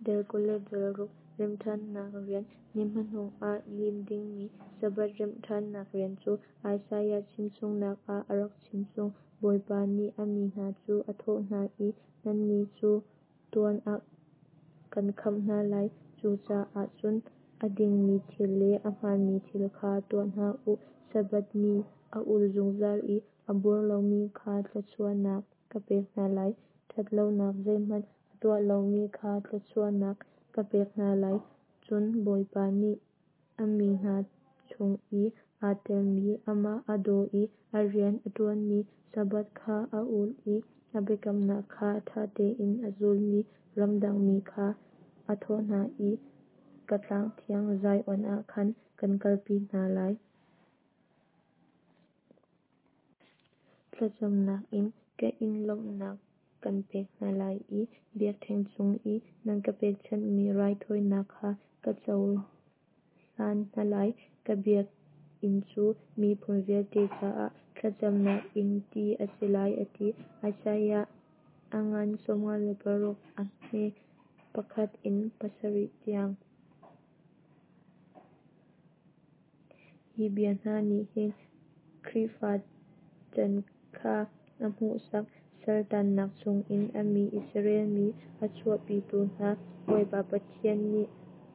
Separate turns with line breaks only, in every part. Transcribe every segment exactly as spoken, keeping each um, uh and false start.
Dal kul le dal ruk Remhṭhannak rian Ni hmanung ah lim dingmi Sabbath remhṭhannak rian cu Isaiah chimchungnak ah a rak chimchung. Bawipa nih a mi hna cu a thawh hna i, Nannih cu tuan ah kan khamh hna lai, cucaah cun a dingmi thil le ahmaanmi thil kha tuah hna u. Sabbath ni a ul zungzal i a buar lomi kha thluachuahnak ka pek hna lai, ṭhat lonak zeihmanh a tuah lomi kha thluachuahnak ka pek hna lai. Cun Bawipa nih a mi hna chung i aa telmi, amah a daw i a rian a ṭuanmi, Sabbath kha a ul i a biakamnak kha ṭha tein a zulmi ramdangmi kha a thawh hna i, Ka tlang thiang Zion ah khan kan kalpi hna lai. Thlacamnak in ka inn lawmhnak kan pek hna lai i biakṭheng cung i nan ka pekchanhmi raithawinak kha ka cohlan hna lai. Ka biakinn cu miphun vialte caah thlacamnak inn ti a si lai, a ti. Isaiah a ngan sawmnga le paruk a hme pakhat in pasarih tiang. Hi bia hna nih hin Khrihfa chan kha a hmuhsak. Saltannak chungin a mi Israel mi a chuahpitu hna Bawipa Pathian nih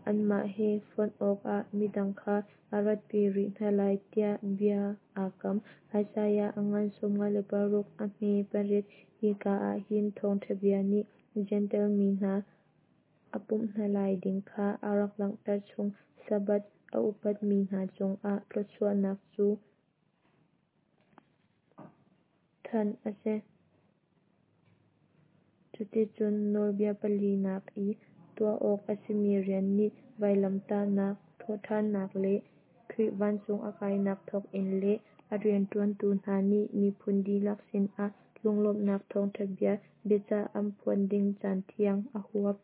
anmah he fonh awkah midang kha a ratpi rih hna lai tiah bia aa kam. Isaiah a ngan sawmnga le paruk a hme pariat. Hika ah hin thawngṭha bia nih Jentail mi hna a pumh hna lai ding kha a rak langhter chung. Sabbath a upatmi hna cungah thluachuahnak cu thanh a si. Cuticun nawlbia palinak i tuah awk a simi rian nih vailamtahnak, thawhṭhannak le Khrih vancung a kainak thawngin le a rianṭuantu hna nih miphun dihlak sinah lunglawmhnak thawngṭha bia biacah an phuan ding caan tiang a huap.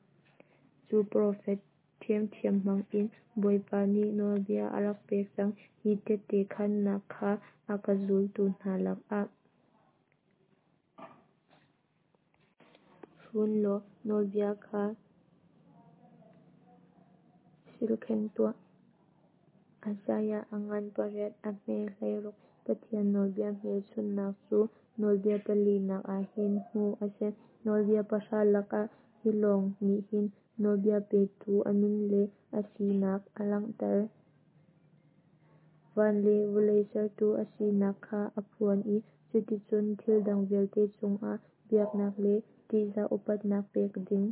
Cu profet ṭhiamṭhiam hmangin Bawipa nih nawlbia a rak pek cang. Hi tehte khaannak kha a ka zultu hna lakah fun law nawlbia kha silkhenh tuah. Isaiah a ngan pariat a hme hleiruk. Pathian nawlbia hmelchunhnak cu nawlbia palinak ah hin hmuh a si. Nawlbia pahra lakah hi lawng nih hin nawlbia petu a min le a sinak a langhter. Van le vawlei sertu a sinak kha a phuan i cuticun thil dang vialte cungah biaknak le ṭihzah upatnak pek ding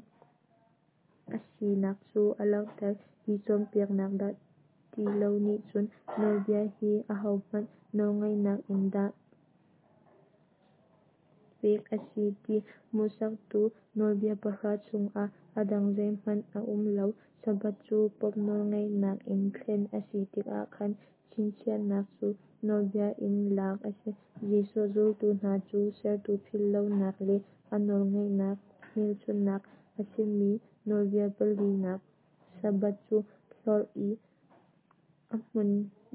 a sinak cu a langhter. Hi cawnpiaknak dah ti lo nih cun nawlbia hi ahohmanh nawlngeihnak in dah pek a si ti hmuhsaktu nawlbia pahra chungah a dang zeihmanh a um lo. Sabbath cu Pope nawlngeihnak in thlen a si tikah khan chinchiahnak cu nawlbia in lak a si. Jesuh zultu hna cu sertu philhlonak le a nawlngeihnak hmelchunhnak a simi nawlbia palinak Sabbath cu hlorh i a hmun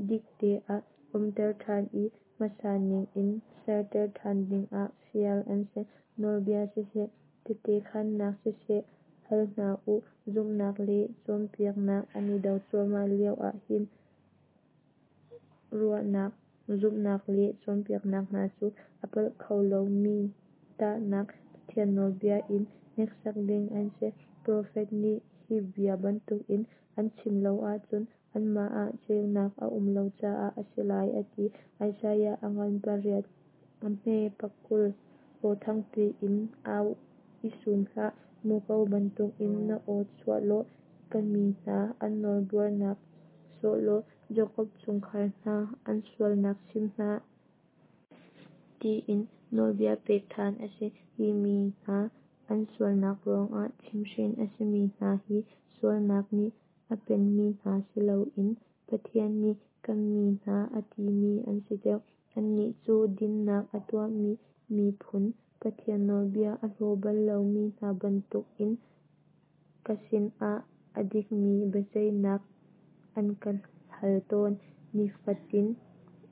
dikte ah umter ṭhan i hmasa ningin serter ṭhan dingah fial an si. Nawlbia siseh, tehte khaannak siseh hal hna u. Zumhnak le cawnpiaknak an i do cuahmah lioah hi ruahnak, zumhnak le cawnpiaknak hna cu a palh kho lomi tahnak Pathian nawlbia in hneksak ding an si. Profet nih hi bia bantukin an chim lo ahcun anmah ah ceunak a um lo caah a si lai, a ti. Isaiah a ngan pariat a hme pakul. Aw thangpi in au i sum hlah, muko bantukin na aw chuah law ka mi hna an nawlbuarnak sawh law Jakob chungkhar hna an sualnak chim hna. Tiin nawlbia pek ṭhan a si. Hi mi hna an sualnak ruangah chimhhrin a simi hna hi sualnak nih a penmi hna si loin Pathian nih ka mi hna a timi an si deuh. Annih cu dinnak a tuahmi miphun, Pathian nawlbia a hlaw bal lomi hna bantukin ka sinah a dikmi biaceihnak an ka hal tawn. Nifatin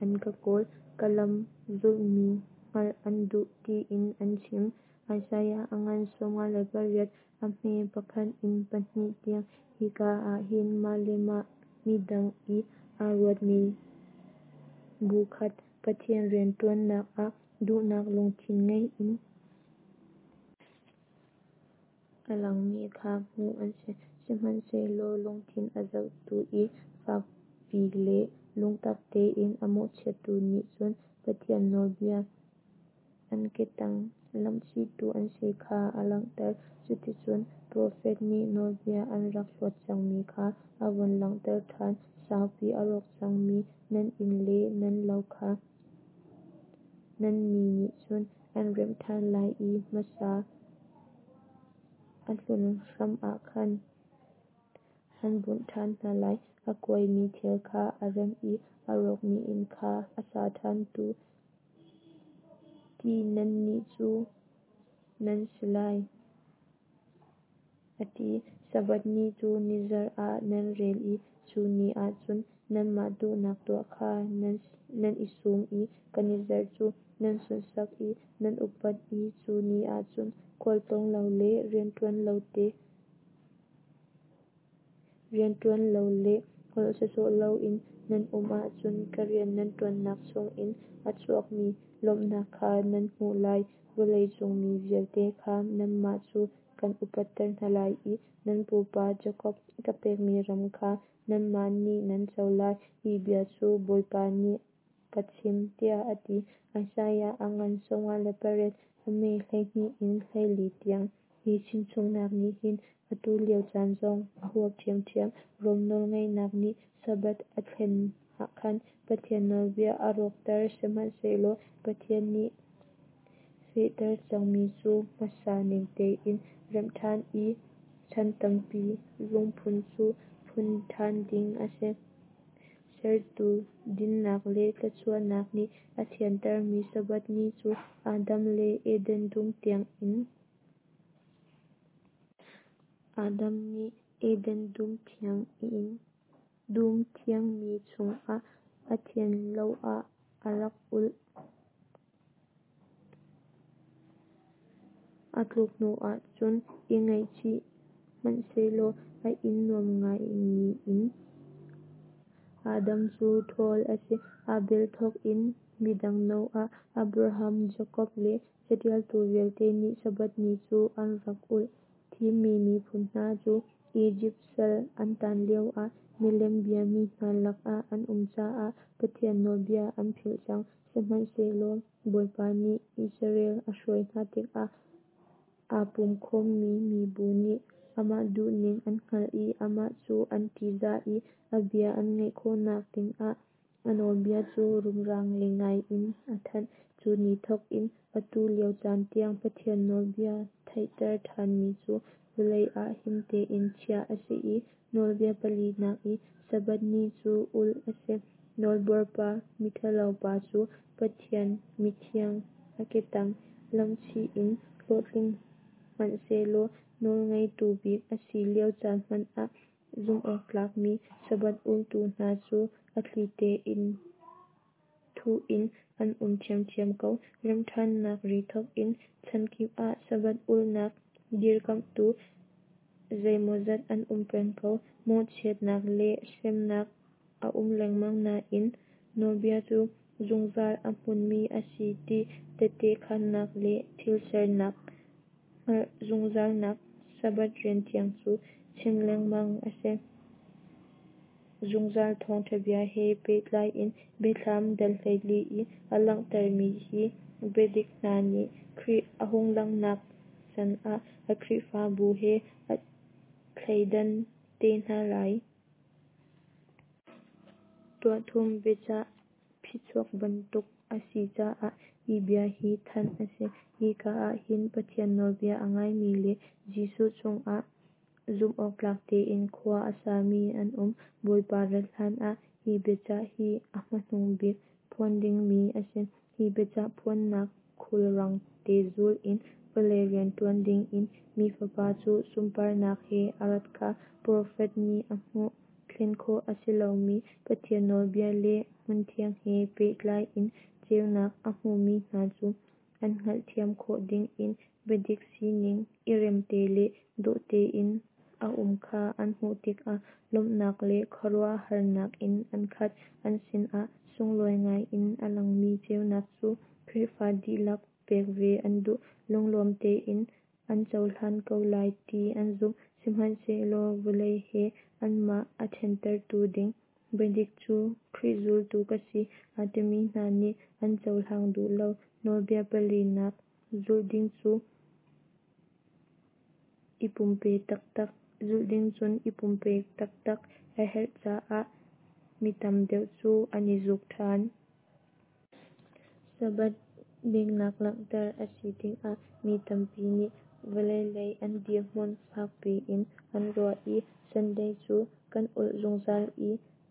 an ka kawl, ka lam zulhmi hngalh an duh, tiin an chim. Isaiah a ngan sawmnga le pariat, a hme pakhat in pahnih tiang. Hika ah hin mah le mah midang i aa ruatmi bu khat Pathian rianṭuannak ah duhnak lungthin ngei in a langmi kha hmuh an si. Sihmanhsehlaw lungthin a zohtu i fakpi le lungtak tein a mawhchiattu nih cun Pathian nawlbia an ketang lamhchihtu an si kha a langhter. Cuticun profet nih nawlbia an rak hlawt cangmi kha a vun langhter ṭhan. Saupi a rawk cangmi nan inn le nan lo kha nan mi nih cun an remh ṭhan lai i hmasa a hlun hram ah khan an bunh ṭhan hna lai. A kuaimi thil kha a remh i a rawkmi inn kha a sa ṭhantu ti nannih cu nan si lai, a ti. Sabbath ni cu nizarh ah nan rel i cu ni ah cun nanmah duhnak tuah kha nan i sum i ka nizarh cu nan sunhsak i nan upat i cu ni ah cun khualtlawng lo le rianṭuan lo le holh sawsawh loin nan um ahcun ka rian nan ṭuannak chungin a chuakmi lawmhnak kha nan hmuh lai. Vawlei cung mi vialte kha nanmah cu kan upatter hna lai i nan pupa Jakob ka pekmi ram kha nanmah nih nan co lai. Hi bia cu Bawipa nih ka chim, tiah a ti. Isaiah a ngan sawmnga le pariat, a hme hleihnih in hleili tiang. Hi chimchungnak nih hin atu lio caan zong a huap ṭhiamṭhiam. Rom nawlngeihnak nih Sabbath a thlen ah khan Pathian nawlbia a rawkter. Sihmanhsehlaw Pathian nih fehter cangmi cu hmasa ning tein remh ṭhan i chan tampi lungphun cu phun ṭhan ding a si. Sertu dinnak le thluachuahnak nih a thiantermi Sabbath ni cu Adam le Eden dum tiang in Adam nih Eden dum thiangmi chungah a thian lo ah a rak ulh. A tluk hnuah cun i ngaihchih hmanhsehlaw a inn nuam ngaimi in Adam cu ṭhawl a si. Abel thawk in midang Noah, Abraham, Jakob le caṭialtu vialte nih Sabbath ni cu an rak ulh. Thimmi miphun hna cu Izipt sal an taan lioah milem biami hna lakah an um caah Pathian nawlbia an philh cang. Sihmanhsehlaw Bawipa nih Israel a hruai hna tikah aa pum khawmmi mibu nih amah duhning an hngalh i amah cu an ṭihzah i a bia an ngaih khawhnak dingah a nawlbia cu rumra ngei ngai in a thanh. Cu ni thawk in atu lio caan tiang Pathian nawlbia theihter ṭhanmi cu vawlei ah him tein chiah a si i nawlbia palinak i Sabbath ni cu ulh a si. Nawlbuarpa miṭhalo pa cu Pathian mithiang a ketang lamhchih in hlawhtling hmanhsehlaw nawlngeitu bik a si lio caan hmanh ah zumhawktlakmi Sabbath ultu hna cu a thli tein thuh in an um ṭhiamṭhiam ko. Remhṭhannak ri thawk in chankip ah Sabbath ulhnak dirkamhtu zeimawzat an um peng ko. Mawhchiatnak le hremnak a um lengmang nain nawlbia cu zungzal a hmunmi a si ti tehte khaannak le thil sernak hngalh zungzalnak Sabbath rianthiang cu chim lengmang a si. Zungzal thawngṭha bia he pehtlai in Biathlam dal hleili i a langhtermi hi biadik hna nih Khrih a hung langhnak can ah a Khrihfabu he a thleidan te hna lai. Tuahthum biachah phichuak bantuk a si caah hi bia hi thanh a si. Hika ah hin Pathian nawlbia a ngaimi le Jesuh cungah zumhawktlak tein khua a sami an um. Bawipa rat hlanah hi biachah hi a hmanung bik phuan dingmi a si. Hi biachah phuannak khulrang te zul in vawlei rianṭuan dingin Mi Fapa cu sunparnak he a rat kha profet nih a hmuh. Thlen khawh a si lomi Pathian nawlbia le hmunthiang he pehtlai in ceunak a hmumi hna cu an hngalhthiam khawh dingin biadik sining i remte le dawh tein a um kha an hmuh tikah lawmhnak le khuaruahharnak in an khat. An sinah sunglawi ngai in a langmi ceunak cu Khrihfa dihlak pek ve an duh. Lunglawm tein an cohlan ko lai ti an zumh. Sihmanhsehlaw vawlei he anmah a ṭhentertu ding biadik cu Khrih zultu ka si aa timi hna nih an cohlang duh lo. Nawlbia palinak zulh ding cu i pumpe taktak zulh ding cun i pumpek taktak a herh caah mi tam deuh cu an i zuk ṭhan. Sabbath diknak langhter a si tikah mi tampi nih vawlei lei an dirhmun fak piin an ruah i Sunday cu kan ulh zungzal i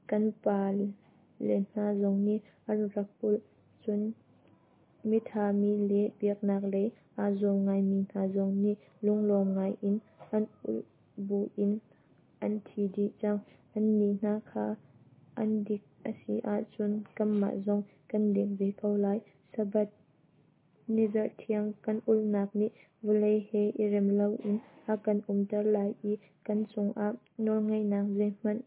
kan pa le hna zong nih an rak ulh, cun mitha mi le biaknak lei aa zuam ngaimi hna zong nih lunglawm ngaiin an ulh buin an thi dih cang. Annih hna kha an dik a si ahcun kanmah zong kan dik ve ko lai. Sabbath nizarh thiang kan ulhnak nih vawlei he i rem loin a kan umter lai i kan cungah nawlngeihnak zeihmanh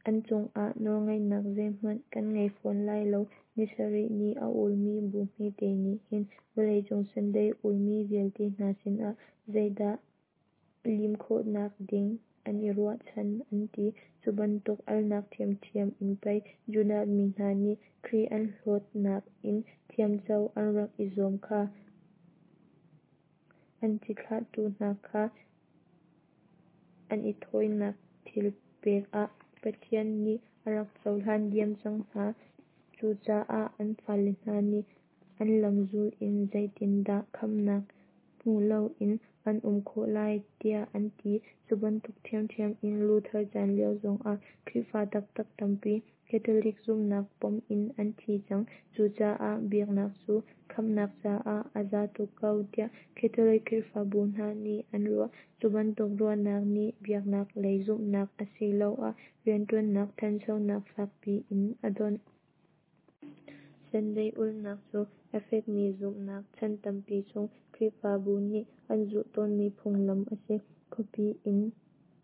an cungah nawlngeihnak zeihmanh kan ngei fawn lai lo. Ni sarih ni a ulmi bu hmete nih hin vawleicung Sunday ulmi vialte hna sinah zeidah lim khawhnak ding an i ruahchan an ti. Cu bantuk alnak ṭhiamṭhiam in pei Judah mi hna nih Khrih an hlawtnak in thiamco an rak i zuam kha. An cithlahtu hna kha an i thawinak thil pek ah Pathian nih a rak cohlan diam cang hna. Cucaah an fale hna nih an lam zul in zeitindah khamhnak hmu loin an um khawh lai tiah an ti. Cu bantuk ṭhiamṭhiam in Luther chan lio zongah Khrihfa taktak tampi Catholic zumhnak pom in an thi cang. Cucaah biaknak cu khamhnak caah a za tuk ko tiah Catholic Khrihfabu hna nih an ruah. Cu bantuk ruahnak nih biaknak lei zumhnak asiloah rianṭuannak ṭhanchonak fakpi in a donh. Sunday ulhnak cu a fekmi zumhnak, chan tampi chung Khrihfabu nih an zulh tawnmi phunglam a si. Khuapi in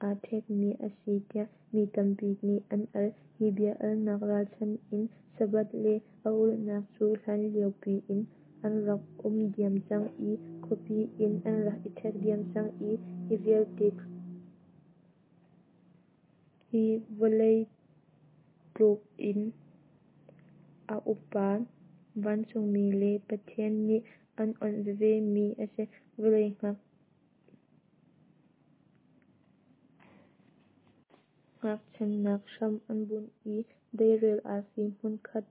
aa ṭhekmi a si tiah mi tampi nih an al. Hi bia alnak ralchanh in Sabbath le a ulhnak cu hlanlio piin an rak um diam cang i khuapi in an rak i ṭhek diam cang i hi vialte hi vawlei tluk in a upa vancungmi le Pathian nih an onh veve mi a si. Vawlei hngakchannak hram an bunh i deirel arfi hmunkhat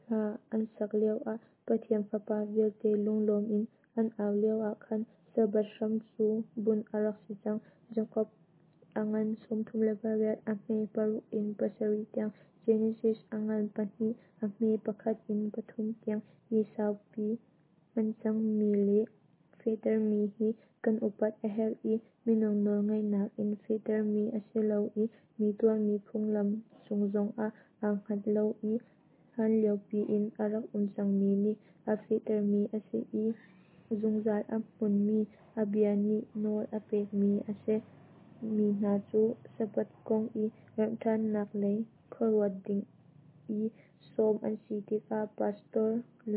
hla an sak lioah, Pathian fapa vialte lunglawm in an au lioah khan Sabbath hram cu bunh a rak si cang. Jakob a ngan sawmthum le pariat, a hme paruk in pasarih tiang. Genesis a ngan pahnih, a hme pakhat in pathum tiang. Hi saupi hman cangmi le fehtermi hi kan upat a herh i minung nawlngeihnak in fehtermi a si lo i mi tuahmi phunglam cung zongah aa hngat lo i hlanliopi in a rak um cangmi nih a fehtermi a si i zungzal a hmunmi a bia nih nawl a pekmi a si. Mi hna cu Sabbath kong i remhṭhannak lei khuaruat ding i sawm an si tikah pastor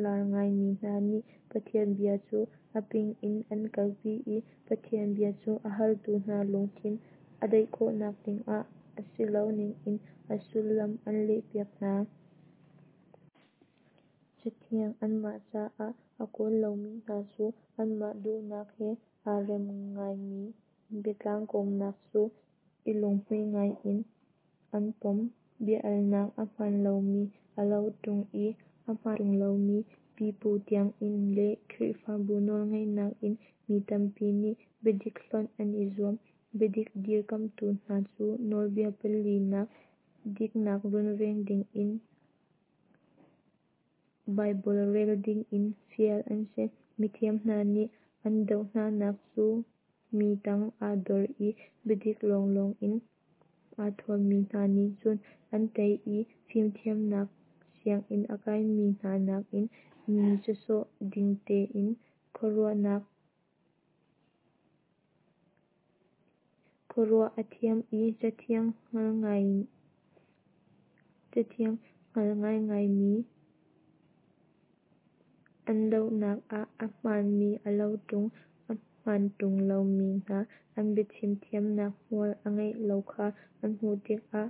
lar ngaimi hna nih Pathian bia cu a ping in an kalpi i Pathian bia cu a haltu hna lungthin a daih khawhnak dingah a si lo ningin a sullam an lehpiak hna. Cathiang anmah caah a kawl lomi hna cu anmah duhnak he aa rem ngaimi biatlang kawmnak cu i lunghmuih ngaiin an pom. Bia-alnak a hmaan lomi a lo ṭung i a hmaan ṭung lomi pipu tiangin le Khrihfabu nawlngeihnak in mi tampi nih biadik hlonh an i zuam. Biadik dirkamhtu hna cu nawlbia palinak diknak runveng dingin Baibal rel dingin fial an si. Mithiam hna nih an doh hnanak cu mi tang aa dor i biadik lawnglawng in aa thuammi hna nih cun an tei i fimthiamnak sianginn a kaimi hna nakin Mi sawsawh ding tein khuaruahnak khuaruah a thiam i Cathiang hngal ngaingaimi an dohnak ah a hmaanmi a lo ṭung, a hmaan ṭung lomi hna an biachim thiamnak hmual a ngeih lo kha an hmuh tikah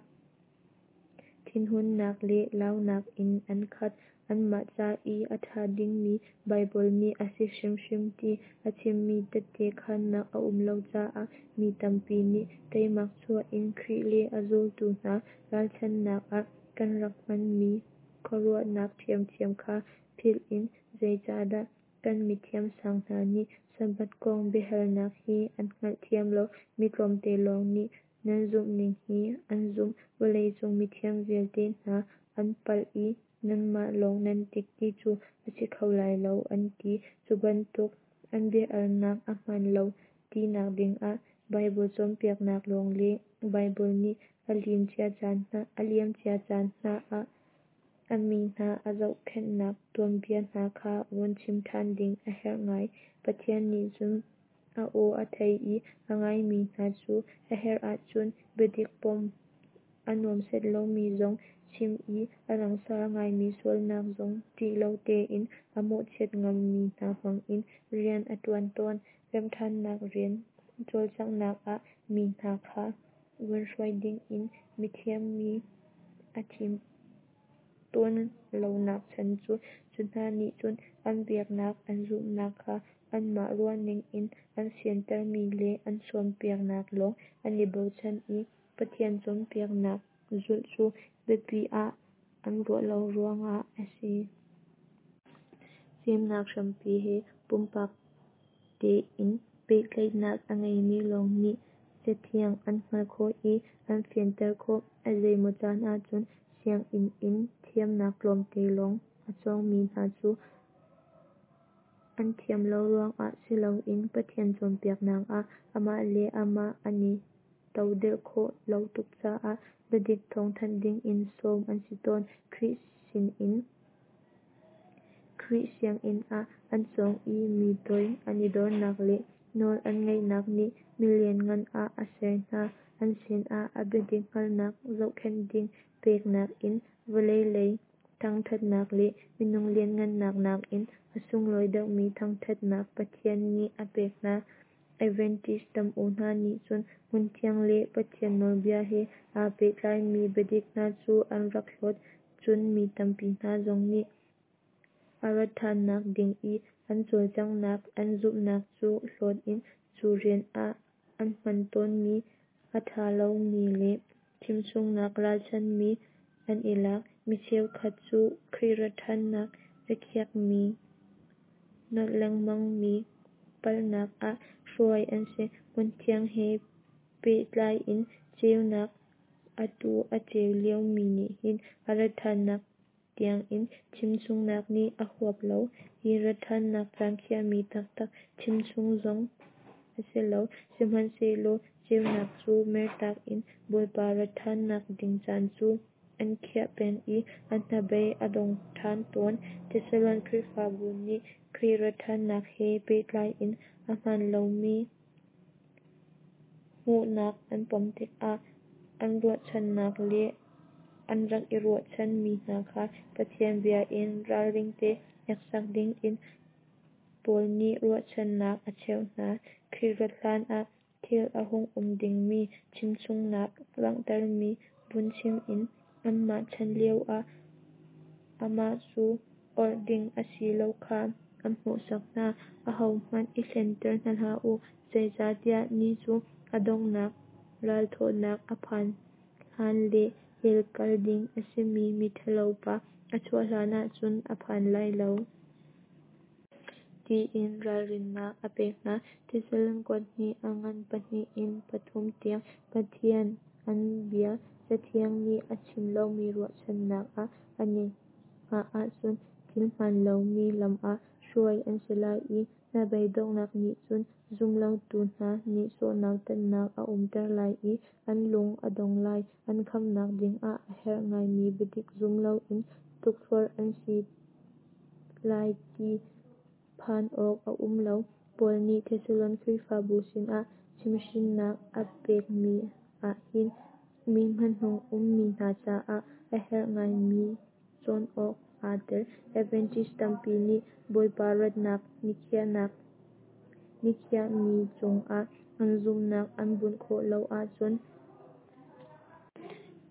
thinhunnak le launak in an khat. Anmah ca i a ṭha dingmi Baibal nih a si hrimhrim ti a chimmi tehte khaannak a um lo caah mi tampi nih teimak chuah in Khrih le a zultu hna ralchanhnak ah kan rak hmanmi khuaruahnak ṭhiamṭhiam kha philh in zeicahdah kan mithiam sang hna nih Sabbath kong biahalnak hi an hngalhthiam lo, mi tlawmte lawng nih nan zumhning hi an zumh, vawleicung mithiam vialte hna an palh i nanmah lawng nan dik ti cu a si kho lai lo an ti. Cu bantuk an bia-alnak a hmaan lo tinak dingah Baibal cawnpiaknak lawng le Baibal nih a liamcia caan hna ah a mi hna a zohkhenhnak tuanbia hna kha vun chim ṭhan ding a herh ngai. Pathian nih cun a aw a thei i a ngaimi hna cu a herh ahcun biadik pom a nuam set lomi zong chim i a langsar ngaimi sualnak zong ṭih lo tein a mawhchiat ngammi hna hmangin rian a ṭuan tawn. Remhṭhannak rian cawlcanghnak ah mi hna kha vun hruai dingin mithiam mi a thim tawn lonak chan cu, cu hna nih cun an biaknak an zumhnak kha anmah ruahning in an fiantermi le an cawnpiaknak lawng an i bochan i Pathian cawnpiaknak zulh cu biapi ah an ruah lo ruangah a si. Fimnak hrampi he pumpak tein pehtlaihnak a ngeimi lawng nih Cathiang an hngalh khawh i an fianter khawh. A zeimaw caan ahcun sianginn in thiamnak tlawmte lawng a cawngmi hna cu an thiam lo ruangah si loin Pathian cawnpiaknak ah amah le amah an i todelh khawh lo tuk caah biadik thawngthanh dingin sawm an si tawn. Khrih sinin Khrih sianginn ah an cawng i mi toi an i dornak le nawl an ngaihnak nih milianngan ah a ser hna. An sinah a biadik hngalhnak zohkhenh ding peknak in vawlei lei thangṭhatnak le minung lianhngannak nakin a sunglawi deuhmi thangṭhatnak Pathian nih a pek hna. Adventist tam-u hna nih cun hmunthiang le Pathian nawlbia he aa pehtlaimi biadik hna cu an rak hlawt. Cun mi tampi hna zong nih a rat ṭhannak ding i an cawlcanghnak an zumhnak cu hlawt in cu rian ah an hman tawnmi a ṭha lomi le chimchungnak ralchanhmi an i lak. Mi cheukhat cu Khrih rat ṭhannak rikhiakmi nolh lengmangmi palhnak ah hruai an si. Hmunthiang he pehtlai in ceunak atu a ceu liomi nih hin a rat ṭhannak tiangin chimchungnak nih a huap lo. Hi rat ṭhannak caan khiahmi taktak chimchung zong a si lo. Sihmanhsehlaw ceunak cu mertak in Bawipa rat ṭhannak ding caan cu an khiah peng i an hnabei a dong ṭhan tawn. Thesalon Khrihfabu nih Khrih rat ṭhannak he pehtlai in a hmaan lomi hmuhnak an pom tikah an ruahchannak le an rak i ruahchanmi hna kha Pathian bia in ralringte hneksak dingin Paul nih ruahchannak a cheuh hna. Khrih rat hlanah thil a hung um dingmi chimchungnak langhtermi vun chim in anmah chan lioah amah cu orh ding a si lo kha an hmuhsak hna. Ahohmanh i hlenter hna hlah u, zeicahtiah ni cu a donghnak ralthawhnak a phan hlan le hell kal ding a simi miṭhalopa a chuah hlanah cun a phan lai lo. Tiin ralrinnak a pek hna. Thesalon kuat hnih a ngan pahnih in pathum tiang Pathian an bia Cathiang nih a chim lomi ruahchannak ah an i hngah ahcun thil hmaan lomi lam ah hruai an si lai i hnabei donghnak nih cun zumlotu hna nihsawh nautatnak a umter lai i an lung a dong lai. An khamhnak dingah a herh ngaimi biadik zum loin tukforh an si lai ti phan awk a um lo. Paul nih Thesalon Khrihfabu sinah chimhhrinnak a pekmi ahhin ni hmanung ummi hna caah a herh ngaimi cawn awk aa tel. Adventist tampi nih Bawipa ratnak nikhiahnak nikhiahmi cungah an zumhnak an bunh khawh lo ahcun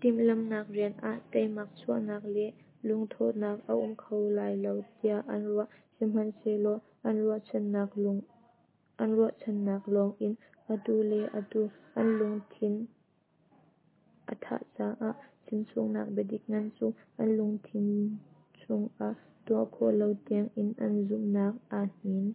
timhlamhnak rian ah teimak chuahnak le lungthawhnak a um kho lai lo tiah an ruah. Sihmanhsehlaw an ruahchannak lung an ruahchannak lawngin atu le atu an lungthin a thah caah chimchungnak biadik ngan cu an lungthin chungah tuah khawh lo tiangin an zumhnak aa hnin.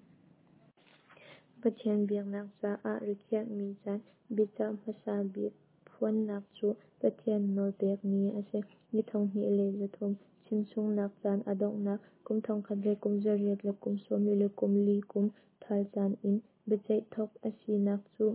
Pathian biaknak caah rikhiahmi caan biacah hmasa bik phuannak cu Pathian nawl pekmi a si. Ni thonghnih le zathum chimchungnak caan a donghnak kum thongkhat le kum zariat le kum sawmli le kum li kum thal caan in biaceih thawk a sinak cu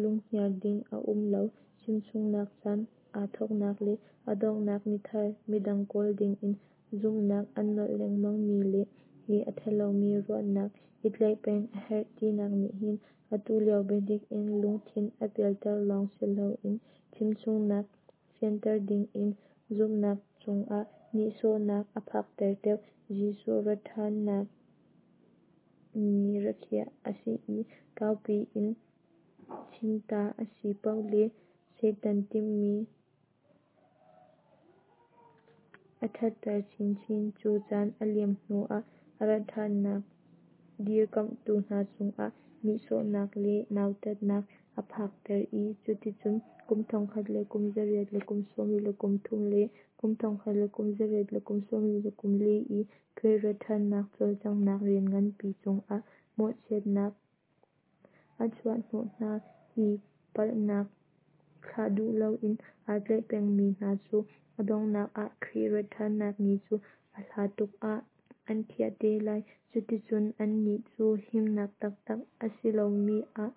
lunghnial ding a um lo. Chimchungnak caan aa thawknak le a donghnak nithar midang kawl dingin zumhnak an nolh lengmang mi le hi a thalomi ruahnak i tlaih peng a herh tinak nih hin atu lio biadik in lungthin a pialter lawng siloin chimchungnak fianter dingin zumhnak cungah nihsawhnak a phakter deuh. Jesuh rat'hannak ni rikhiah a si i kaupi in chimta a si paoh le Satan timhmi a thatter chinchin. Cu caan a liam hnuah a rat'hannak dirkamhtu hna cungah nihsawhnak le nautatnak a phakter i cuticun kum thongkhat le kum zariat le kum sawmli le kum thum le kum thongkhat le kum zariat le kum sawmli le kum li i Khrih rat'hannak cawlcanghnak rian nganpi cungah mawhchiatnak a chuahhnawh hna. Hi palhnak thlah duh loin aa tlaih pengmi hna cu a donghnak ah Khrih rat'hannak ni cu a hla tuk ah an khiah te lai. Cuticun annih cu himnak taktak a si lomi ah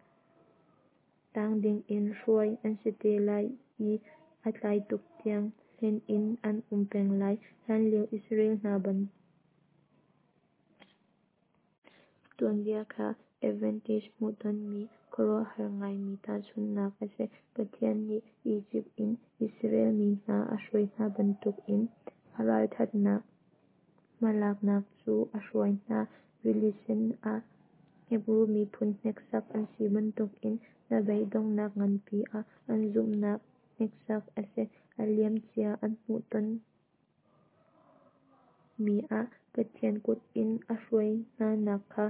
tang dingin hruai an si te lai i a tlai tuk tiang hlen in an um peng lai. Hlanlio Israel hna ban tuanbia kha Adventist hmuhtonmi khuaruahhar ngaimi tahchunhnak a si. Pathian nih Izipt in Israel mi hna a hruai hna bantukin a ralthatnak hmalaknak cu a hruai hna. Rili Sen ah Hebru miphun hneksak an si bantukin hnabei donghnak nganpi ah an zumhnak hneksak a si. A liamcia an hmuhton mi ah Pathian kut in a hruai hnanak kha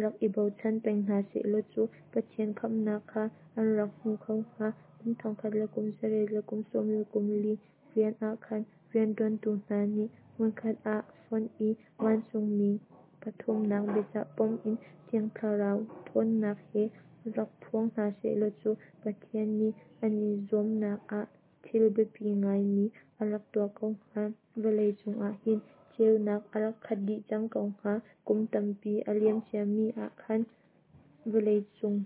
rak i bochan peng hna sehlaw cu Pathian khamhnak kha an rak hmu kho hnga. Kum thongkhat le kum zariat le kum sawmli le kum li rian ah khan riantuantu hna nih hmunkhat ah fonh i vancungmi pathumnak biacah pom in Thiang Thlarau thawnnak he rak phuang hna sehlaw cu Pathian nih an i zuamnak ah thil biapi ngaimi a rak tuah ko hnga. Vawlei cungah hin ceunak a rak khat dih cang ko hnga. Kum tampi a liam ciami ah khan vawleicung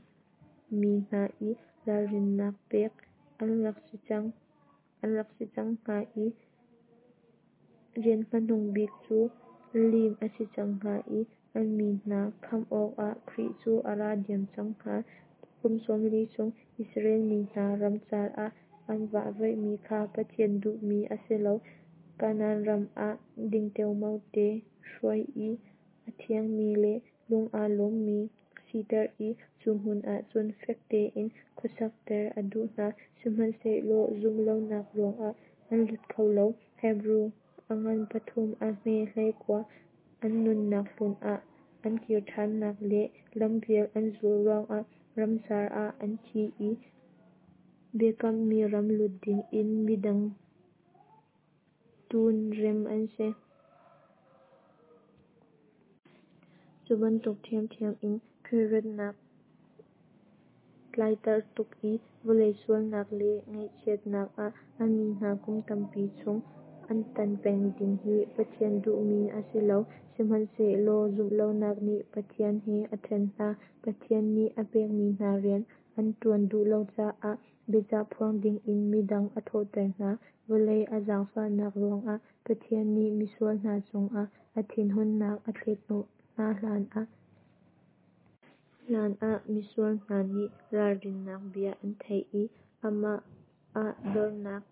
mi hna i ralrinnak pek an rak si cang an rak si cang hnga i rian hmanung bik cu lim a si cang hnga i an mi hna khamh awkah Khrih cu a ra diam cang hnga. Kum sawmli chung Israel mi hna ramcar ah an vahvaihmi kha Pathian duhmi a si lo. Kanaan ram ah ding teomao te hruai i a thiangmi le lung aa lawmmi siter i cu hmun ahcun fek tein khuasakter a duh hna. Sihmanhsehlaw zumhlonak ruangah an lut kho lo. Hebru a ngan pathum a hme hleikua an nunnak hlun ah an kir thannak le lampial an zulh ruangah ramcar ah an thi i biakammi ram lut dingin midang tu rem an si. Cu bantuk thiamthiam in Khrih ratnak tlaiter tuk i vawlei sualnak le ngaihchiatnak ah a mi hna kum tampi chung an tan peng ding hi Pathian duhmi a si lo. Sihmanhsehlaw zumhlonak nih Pathian he a then hna. Pathian nih a pekmi hna rian an ṭuan duh lo caah biachah phuang dingin midang a thawhter hna. Vawlei a zaangfahnak ruangah Pathian nih misual hna cungah a thinhunnak a thlet hnawh hna hlanah, hlanah misual hna nih ralrinnak bia an theih i amah ah dornak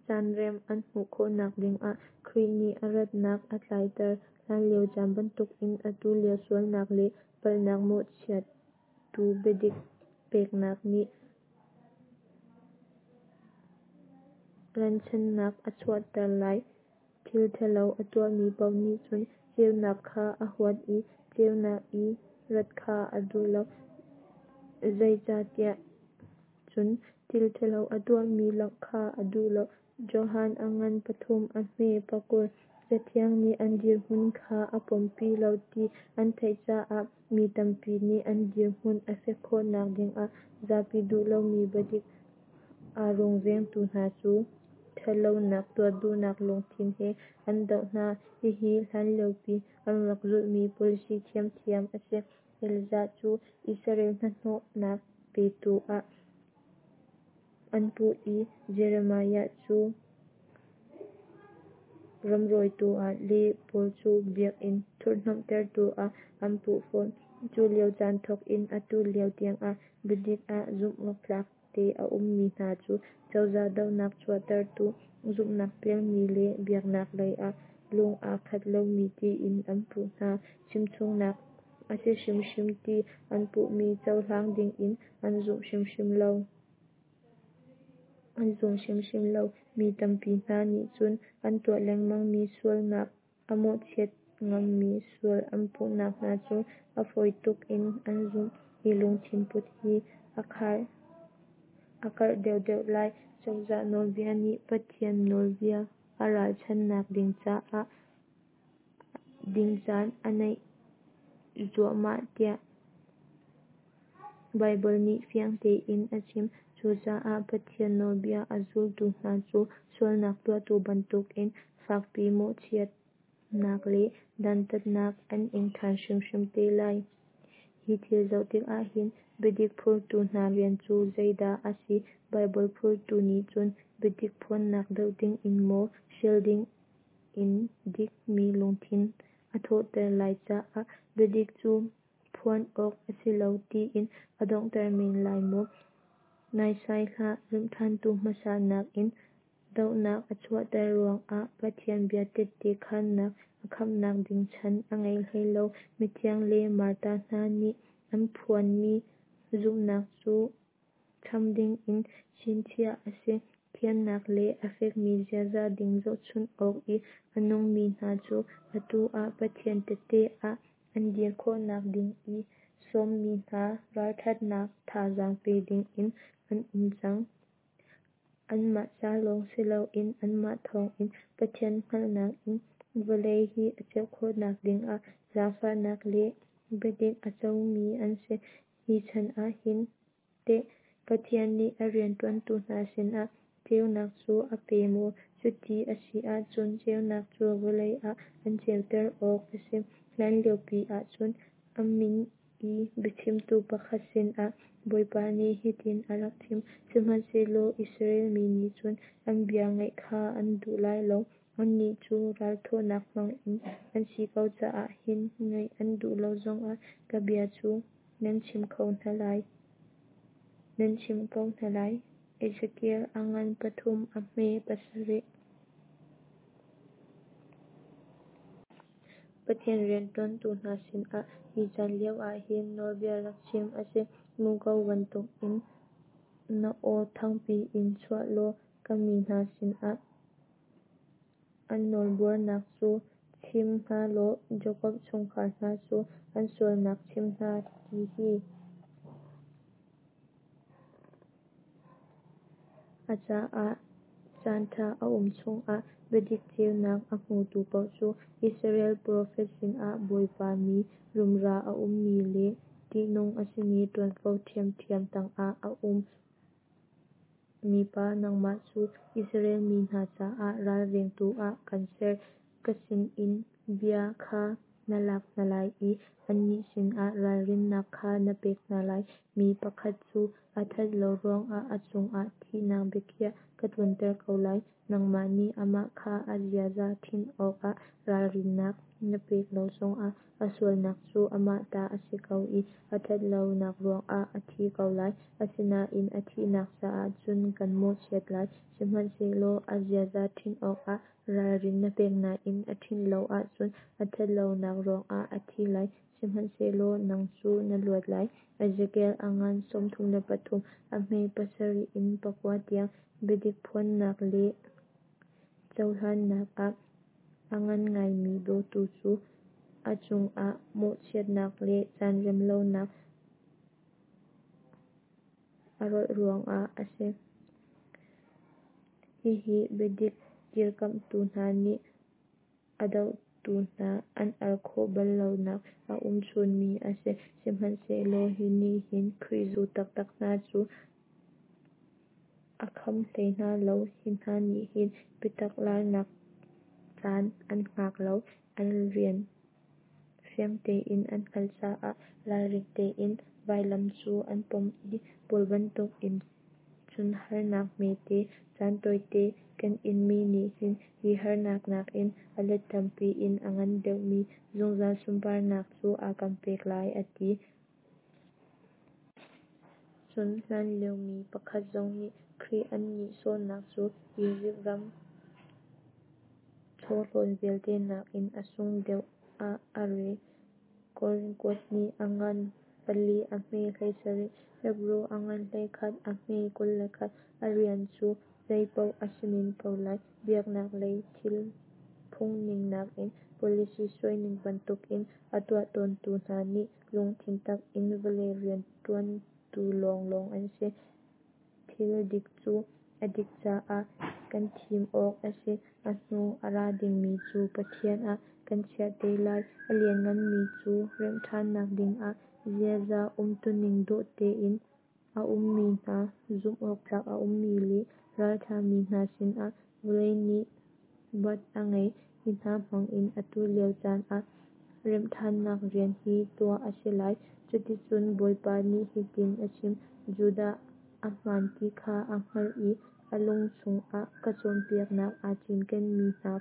caanrem an hmuh khawhnak dingah Khrih nih a ratnak a tlaiter. Hlanlio caan bantukin atu lio sualnak le palhnak mawhchiattu biadik peknak nih ralchanhnak a chuahter lai. Thil ṭhalo a tuahmi paoh nih cun ceunak kha a huat i ceunak i rat kha a duh lo, zeicahtiah cun thil ṭhalo a tuahmi langh kha a duh lo. Johan a ngan pathum a hme pakul. Cathiang nih an dirhmun kha a pompi lo ti an theih caah mi tampi nih an dirhmun a fek khawhnak dingah zapi duh lomi biadik a rungvengtu hna cu ṭhatlonak tuah duhnak lungthin he an doh hna. Hihi hlanliopi an rak zulhmi policy ṭhiamṭhiam a si. Elijah cu Israel hnahnawhnak petu ah an puh i Jeremiah cu ramrawitu ah le Paul cu biakinn thurhhnawmhtertu ah an puh fawn. Cu lio caan thawk in atu lio tiangah biadik ah zumhawktlak te a ummi hna cu cozah dohnak chuahtertu, zumhnak pialmi le biaknak lei ah lung aa khat lomi tiin an puh hna. Chimchungnak a si hrimhrim ti an puhmi cohlang dingin an zum hrimhrim lo. An zum hrimhrim lo. Mi tampi hna nih cun an tuah lengmangmi sualnak a mawhchiat ngammi sual an puhnak hna cu a fawi tuk in an zumh. Hi lungthin put hi a karh deuhdeuh lai. Cozah nawlbia nih Pathian nawlbia a ralchanhnak ding caan a naih zuahmah tiah Baibal nih fiang tein a chim. Cucaah Pathian nawlbia a zultu hna cu sualnak tuahtu bantukin fakpi mawhchiatnak le dantatnak an ing ṭhan hrimhrim te lai. Hi thil zoh tikah hin biadik phurtu hna rian cu zeidah a si? Baibal phurtu nih cun biadik phuannak doh dingin maw, hrial dingin dik mi lungthin a thawhter lai caah biadik cu phuan awk a si lo tiin a donghter men lai maw? Naisai hlah! Remhṭhantu hmasa nakin dohnak a chuahter ruangah Pathian bia tette khannak a khamnak ding chan a ngei hlei lo. Mithiang le martar hna nih an phuanmi zumhnak cu cham dingin chinchiah a si. Thiannak le a fekmi ziaza ding zohchunh awk i a nungmi hna cu atu ah Pathian tehte ah an dir khawhnak ding i sawmmi hna ralṭhatnak thazaang pe dingin an um cang. Anmah ca lawng si loin anmah thawngin Pathian hngalhnak in vawlei hi a ceuh khawhnak dingah zaangfahnak le biadik a comi an si. Hi chan ah hin teh Pathian nih a rianṭuantu hna sinah ceunak cu a pe maw? Cuti a si ahcun ceunak cu vawlei ah an ceuter awk a si. Hlanliopi ahcun a min i biachimtu pakhat sinah Bawipa nih hitin a rak chim: Sihmanhsehlaw Israel mi nih cun an bia ngaih kha an duh lai lo. Annih cu ral thawhnak hmangmi an si ko caah hin ngaih an duh lo zongah ka bia cu nan chimh ko hna lai. Nan chimh ko hna lai. Ezekiel a ngan pathum a hme pasarih. Pathian rianṭuantu hna sinah hi caan lio ah hin nawlbia rak chim a si. Muko bantukin na aw thangpi in chuah law ka mi hna sinah an nawlbuarnak cu chim hna law Jakob chungkhar hna cu an sualnak chim hna, ti hi. A caah caanṭha a um chungah biadik ceunak a hmutu paoh cu Israel profet sinah Bawipa mi rumra a ummi le ṭihnung a simi ṭuanvo ṭhiamṭhiam tangah a um mipa nangmah cu Israel mi hna caah ralvengtu ah kan ser. Ka sinin bia kha na lak hna lai i annih sinah ralrinnak kha na pek hna lai. Mi pakhat cu a that lo ruangah a cungah thihnak biakhiah ka tlunter ko lai, nangmah nih amah kha a ziaza ṭhinh awkah ralrinnak na pek lo zongah, a sualnak cu amah ta a si ko i a that lonak ruangah a thi ko lai. Asinain a thihnak caah cun kan mawhchiat lai. Sihmanhsehlaw a ziaza ṭhinh awkah ralrin na pek nain a ṭhinh lo ahcun, a that lonak ruangah a thi lai, sihmanhsehlaw nang cu na luat lai. Ezekiel a ngan sawmthum le pathum, a hme pasarih in pakua tiang. Biadik phuannak le cohlannak ah a ngan ngaimi dawtu cu a cungah mawhchiatnak le caan rem lonak a rawlh ruangah a si. Hihi biadik dirkamhtu hna nih a dohtu hna an al khawh bal lonak a um chunmi a si. Sihmanhsehlaw hi nih hin Khrih zultu taktak hna cu a kham hlei hna lo. Hi hna nih hin biatak larnak caan an hngak lo, an rian fiang tein an hngalh caah ralring tein vailam cu an pom i Paul bantukin cun harnak hmete caan tawite kan inmi nih hin hi harnak nakin a let tampi in a ngan deuhmi zungzal sunparnak cu a kan pek lai a ti. Cun hlanlio mi pakhat zong nih Khrih an nihsawhnak cu Izipt ram chawhlawn vialte nakin a sung deuh ah a rel. Korin kuat nih a ngan pali a hme hleisarih, Hebru a ngan hleikhat a hme kul le khat. A rian cu zeipaoh a si men ko lai. Biaknak lei thil phungning nakin policy suaining bantukin a tuah tawntu hna nih lungthin tak in vawlei rianṭuantu lawnglawng an si. Thil dik cu a dik caah kan thim awk a si. A hnu a ra dingmi cu Pathian ah kan chiah te lai. A liannganmi cu remhṭhannak dingah ziaza umtuning dawh tein a ummi hna, zumhawktlak a ummi le ralṭhami hna sinah vawlei nih bat a ngei. Hi hna hmangin atu lio caan ah remhṭhannak rian hi tuah a si lai. Cuticun Bawipa nih hitin a chim, Judah, ahmaan ti kha a hngal i a lung chungah ka cawnpiaknak aa cinkenmi hna.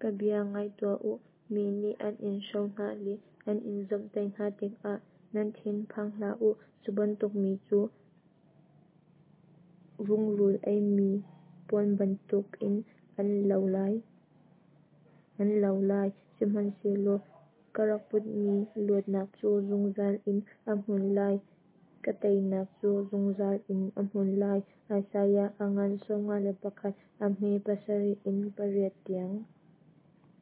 Ka bia ngai tuah u. Mi nih an in hro hna le an in zawmhtaih hna tikah nan thin phang hlah u. Cu bantuk mi cu rungrul eimi puan bantukin an lo lai, sihmanhsehlaw ka rak putmi luatnak cu zungzal in a hmun lai, ka teinak cu zungzal in a hmun lai. Isaiah a ngan sawmnga le pakhat, a hme pasarih in pariat tiang.